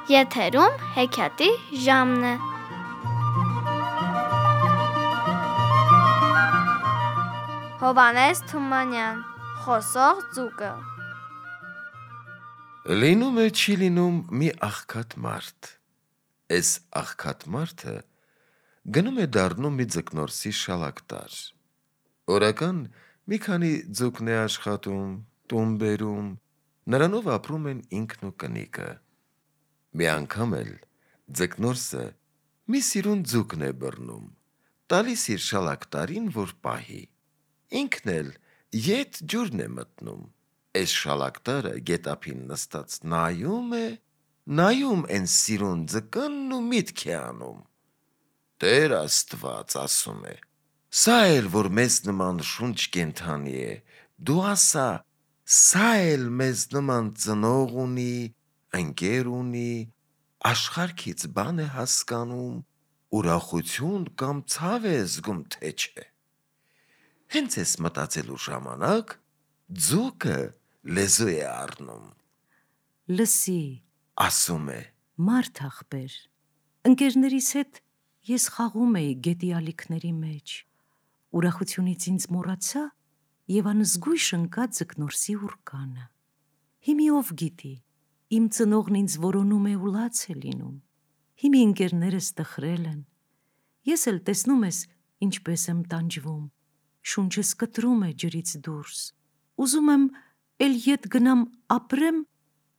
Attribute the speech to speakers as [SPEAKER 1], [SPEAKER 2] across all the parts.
[SPEAKER 1] Եթերում հեքիաթի ժամն է։ Հովհաննես Թումանյան, Խոսող ձուկը։
[SPEAKER 2] Լինում է չի լինում մի աղքատ մարդ։ Էս աղքատ մարդը գնում է դառնում մի ձկնորսի շալակտար։ Օրական մի քանի ձուկն է աշխատում, տուն բերում, նրանով ապրում են ինքն ու կնիկը։ Մի անգամ էլ ձկնորսը մի սիրուն ձուկն է բռնում, տալիս իր շալակտարին, որ պահի։ Ինքն էլ ետ ջուրն է մտնում։ Էս շալակտարը գետափին նստած նայում են սիրուն ձկնն ու միտք է անում։ Տեր Աստված, ասում է, սա էլ որ մեզ նման շունչ կենդանի է, դու ասա, սա էլ մեզ նման ծնող ունի, ընկեր ունի, աշխարհքից բան է հասկանում, ուրախություն կամ ցավ է զգում, թե չէ։ Հենց էս մտածելու ժամանակ ձուկը լեզու է առնում։
[SPEAKER 3] Լսի,
[SPEAKER 2] ասում է,
[SPEAKER 3] մարդ ախպեր, ընկերներիս հետ ես խաղում էի գետի ալիքների մեջ, ուրախությունից ինձ մոռացա և անզգույշ ընկա ձկնորսի ուռկանը։ Հիմի ով գիտի, իմ ծնողն ինձ որոնում է ու լաց է լինում, հիմի ընկերներս տխրել են, ես էլ տեսնում ես ինչպես եմ տանջվում, շունչս կտրում է ջրից դուրս, ուզում եմ էլ ետ գնամ ապրեմ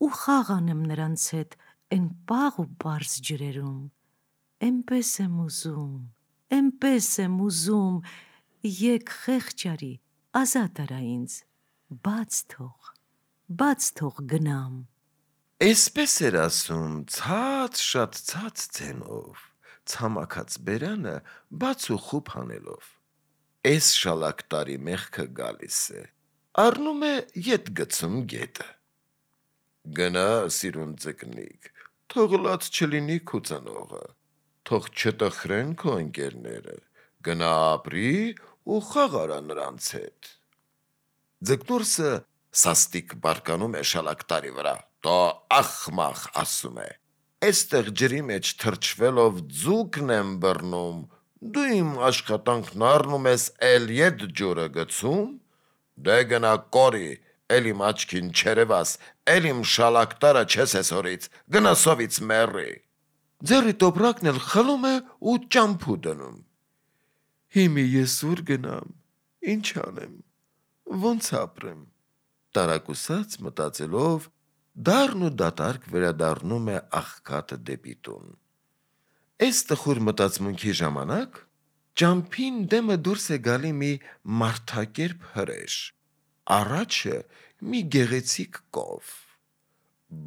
[SPEAKER 3] ու խաղ անեմ նրանց հետ էն պաղ ու պարզ ջրերում, էնպես եմ ուզում, եկ խեղճ արի, ազատ արա ինձ, բաց թող գնամ։
[SPEAKER 2] Էսպես էր ասում շատ ցած ձենով, ցամաքած բերանը բաց ու խուփ հանելով։ Էս շալակտարի մեղքը գալիս է, առնում է ետ գցում գետը։ Գնա, սիրուն ձկնիկ, թող լաց չլինի քու ծնողը, թող չտխրեն քո ընկերները, գնա ապրի ու խաղ արա նրանց հետ։ Ձկնորսը սաստիկ բարկանում է շալակտարի վրա, տո ախմախ, ասում է, էստեղ ջրի մեջ թրջվելով ձուկն եմ բռնում, դու իմ աշխատանքն առնում ես էլ ետ ջուրը գցում, դե գնա կորի, էլ իմ աչքին չերևաս, էլ իմ շալակտարը չես հորից, գնա սովից մեռի։ Ձեռի տոպրակն էլ խլում է ու ճամփու դնում։ Հիմի ես ուր գնամ, ինչ անեմ, ոնց ապրեմ։ Տարակուսած մտածելով դառն ու դատարկ վերադառնում է աղքատը դեպի տուն։ Էս տխուր մտածմունքի ժամանակ ճամփին դեմը դուրս է գալի մի մարդակերպ հրեշ, առաջը մի գեղեցիկ կով։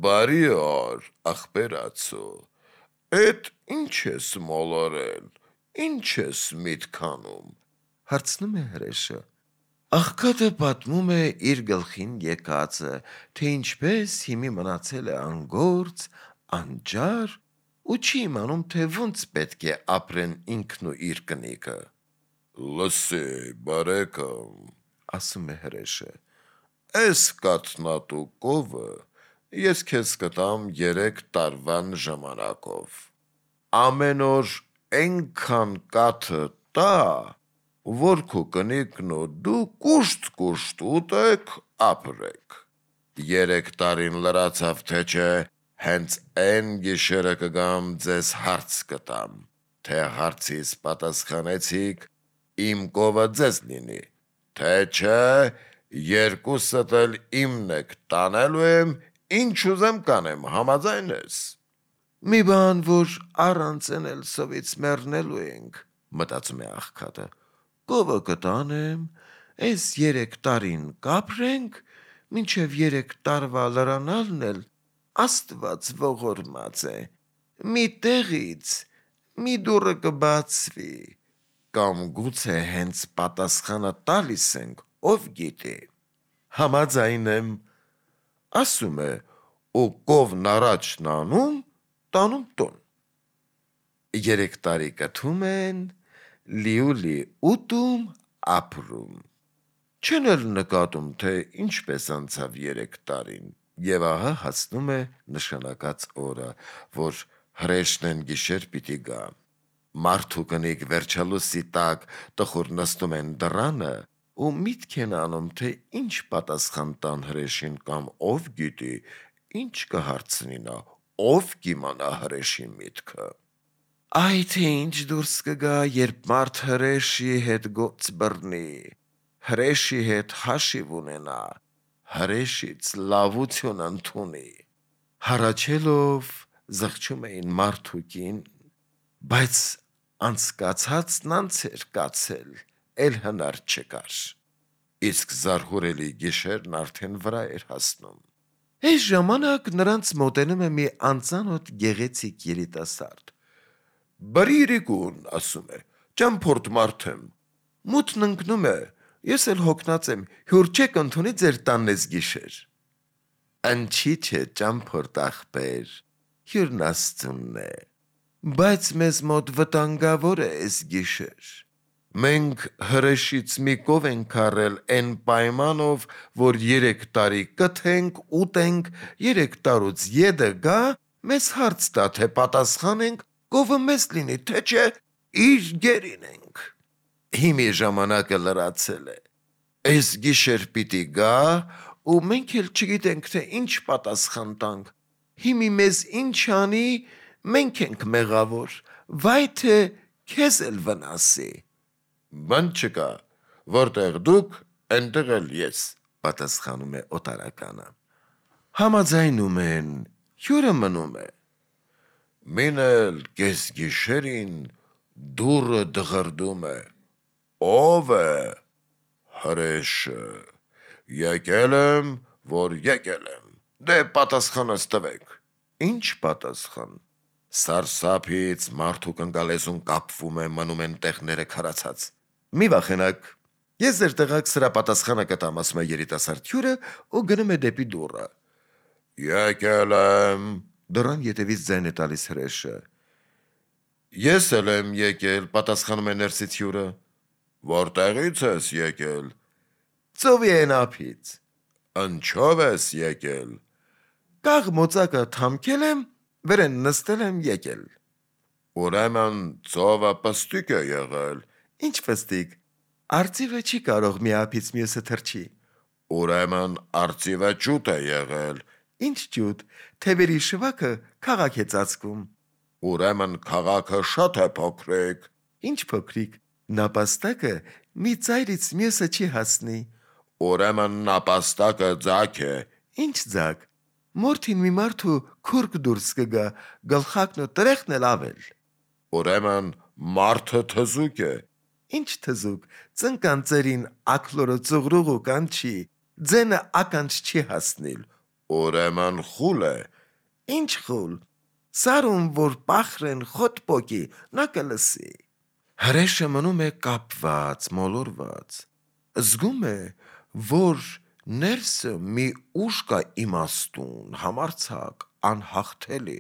[SPEAKER 2] Բարի օր, աղբերացու, էդ ինչ ես մոլորել, ինչ ես միտք անում, հարցնում է հրեշը։ Աղքատը պատմում է իր գլխին եկածը, թե ինչպես հիմի մնացել է անգործ, անջար ու չի իմանում, թե ոնց պետք է ապրեն ինքն ու իր կնիկը։ Լսի, բարեկամ, ասում է հրեշը, էս կաթնատու կովը ես քեզ կտամ 3 տարվան ժամանակով։ Ամեն օր էնքան կաթը տա, որ քո կնիկն ու դու կուշտ ուտեք, ապրեք։ 3 տարին լրացավ, թե չէ, հենց էն գիշերը կգամ ձեզ հարց կտամ, թե հարցիս պատասխանեցիք, իմ կովը ձեզ լինի, թե չէ, երկուսդ էլ իմն եք, տանելու եմ, ինչ ուզեմ կանեմ, համաձայն ես։ Մի բան, որ առանց էն էլ սովից մեռնելու ենք, մտածում է աղքատը, կովը կտանեմ, էս 3 տարին կապրենք, մինչև 3 տարվա լրանալն էլ Աստված ողորմած է, մի տեղից մի դուռը կբացվի, կամ գուցե հենց պատասխանը տալիս ենք, ով գիտի։ Համաձայն եմ, ասում է, ու կովն առաջն անում, տանում տուն։ 3 տարի կթում են, լիուլի ուտում, ապրում։ Չեն էլ նկատում, թե ինչպես անցավ 3 տարին, Եվ ահա հասնում է նշանակած օրը, որ հրեշն են գիշեր պիտի գա։ Մարդու կնիկ վերջալուսի տակ տխուր նստում են դռանը ու միտք են անում, թե ինչ պատասխան տան հրեշին կամ ով գիտի, ինչ կհարցնի նա, ով կիմանա հրեշի միտքը։ Այ թե ինչ դուրս կգա, երբ մարդ հրեշի հետ գործ բռնի, հրեշի հետ հաշիվ ունենա, հրեշից լավություն ընդունի։ Հառաչելով զղջում էին մարդուկին, բայց անցկացածն անց էր կացել, էլ հնար չկար։ Իսկ զարհուրելի գիշերն արդեն վրա էր հասնում։ Այս ժամանակ նրանց մոտենում է մի անծանոթ գեղեցիկ երիտասարդ։ Բարիրիկուն, ասում է, ճամփորդ մարդ եմ, մութն ընկնում է, ես էլ հոգնած եմ, հյուր չեք ընդունի ձեր տանն ես գիշեր։ Ընչի չէ ճամփորդ ախպեր, հյուրն Աստծունն է, բայց մեզ մոտ վտանգավոր է այս գիշեր։ Մենք հրեշից մի կով ենք առել այն պայմանով, որ 3 տարի կթենք, ուտենք, 3 տարուց ետը գա, մեզ հարց տա, թե պատասխանենք, կովը մեզ լինի, թե չէ, իր գերին ենք։ Հիմի ժամանակը լրացել է։ Այս գիշեր պիտի գա, ու մենք էլ չգիտենք, թե ինչ պատասխան տանք։ Հիմի մեզ ինչ անի, մենք ենք մեղավոր, վայ թե քեզ էլ վնասի։ Բան չկա, որտեղ դուք, այնտեղ էլ ես, պատասխանում է օտարականը։ Համաձայնում են, հյուրը մնում է։ Մին էլ կես գիշերին դուռը դղրդում է։ Ով է։ Հրեշը։ Եկել եմ, որ եկել եմ։ Դե պատասխանս տվեք։ Ինչ պատասխան։ Սարսափից մարդու կնկալեզուն կապվում է, մնում են տեղները քարացած։ Մի վախենակ, ես ձեր տեղակ սրա պատասխանը կտամ, ասում է երիտասարդ հյուրը ու գնում է դեպի դուռը։ Եկել եմ, դռան ետևից ձայն է տալիս հրեշը։ Ես էլ եմ եկել, պատասխանում է ներսից հյուրը։ Որտեղից ես եկել։ Ծովի են ափից։ Ինչով ես եկել։ Կաղ մոծակը թամքել եմ, վրեն նստել եմ եկել։ Ուրեմն ծովը պստիկ է եղել։ Ինչ պստիկ։ Արծիվը չի կարող մի ափից մյուսը թռչի։ Ուրեմն արծիվը ջուտ է եղել։ Ինչ ջուտ, թևերի շվաքը քաղաք է ծածկում։ Ուրեմն քաղաքը շատ է փոքրիկ։ Ինչ փոքրիկ, նապաստակը մի ծայրից մյուսը չի հասնի։ Ուրեմն նապաստակը ձագ է։ Ինչ ձագ։ Մորթին մի մարդու քուրկ դուրս կգա, գլխակն ու տրեխն էլ ավել։ Ուրեմն մարդը թզուկ է։ Ինչ թզուկ, ծնկան ծերին ակլորը ծուղրուղու կանչի, ձենը ականջ չի հասնիլ։ Ուրեմն խուլ է։ Ինչ խուլ։ Սարում, որ պախրեն խոտ պոկի, նա կլսի։ Հրեշը մնում է կապված, մոլորված։ Զգում է, որ ներսը մի ուժ կա իմաստուն, համարձակ, անհաղթելի։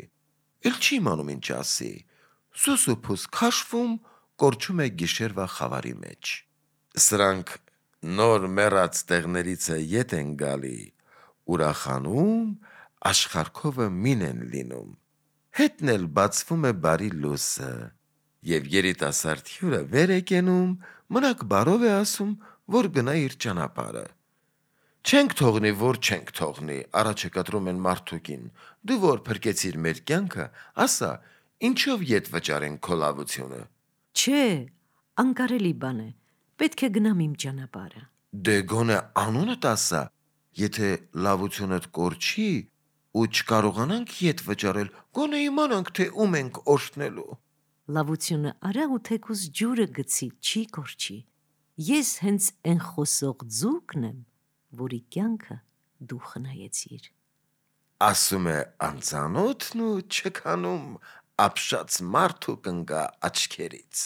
[SPEAKER 2] Էլ չի իմանում ինչ ասի։ Սուսուփուս քաշվում, կորչում է գիշերվա խավարի մեջ։ Սրանք նոր մեռած տեղներից ետ են գալի, ուրախանում, աշխարհքովը մին են լինում։ Հետն էլ բացվում է բարի լույսը, եւ երիտասարդ հյուրը վեր է կենում, մնաք բարով է ասում, որ գնա իր ճանապարհը։ Չենք թողնի, որ չենք թողնի, առաջ է կտրում են մարդուկին։ Դու որ փրկեցիր մեր կյանքը, ասա, ինչով ետ վճարենք քո լավությունը։
[SPEAKER 3] Չէ, անկարելի բան է, պետք է գնամ իմ ճանապարհը։
[SPEAKER 2] Դե գոնե անունդ ասա, եթե լավությունդ կորչի ու չկարողանանք ետ վճարել, գոնե իմանանք, թե ում ենք օրհնելու։
[SPEAKER 3] Լավությունը արա ու թեկուզ ջուրը գցի, չի կորչի։ Ես հենց այն խոսող ձուկն եմ, որի կյանքը դու խնայեցիր։
[SPEAKER 2] Ասում է անծանոթն ու չքանում ապշած մարդու կնգա աչքերից։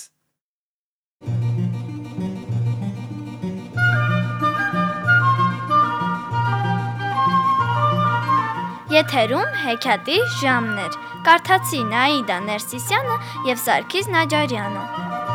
[SPEAKER 1] Եթերում հեքիաթի ժամն էր։ Կարդացի Նաիդա Ներսիսյանը եւ Սարգիս Նաջարյանը։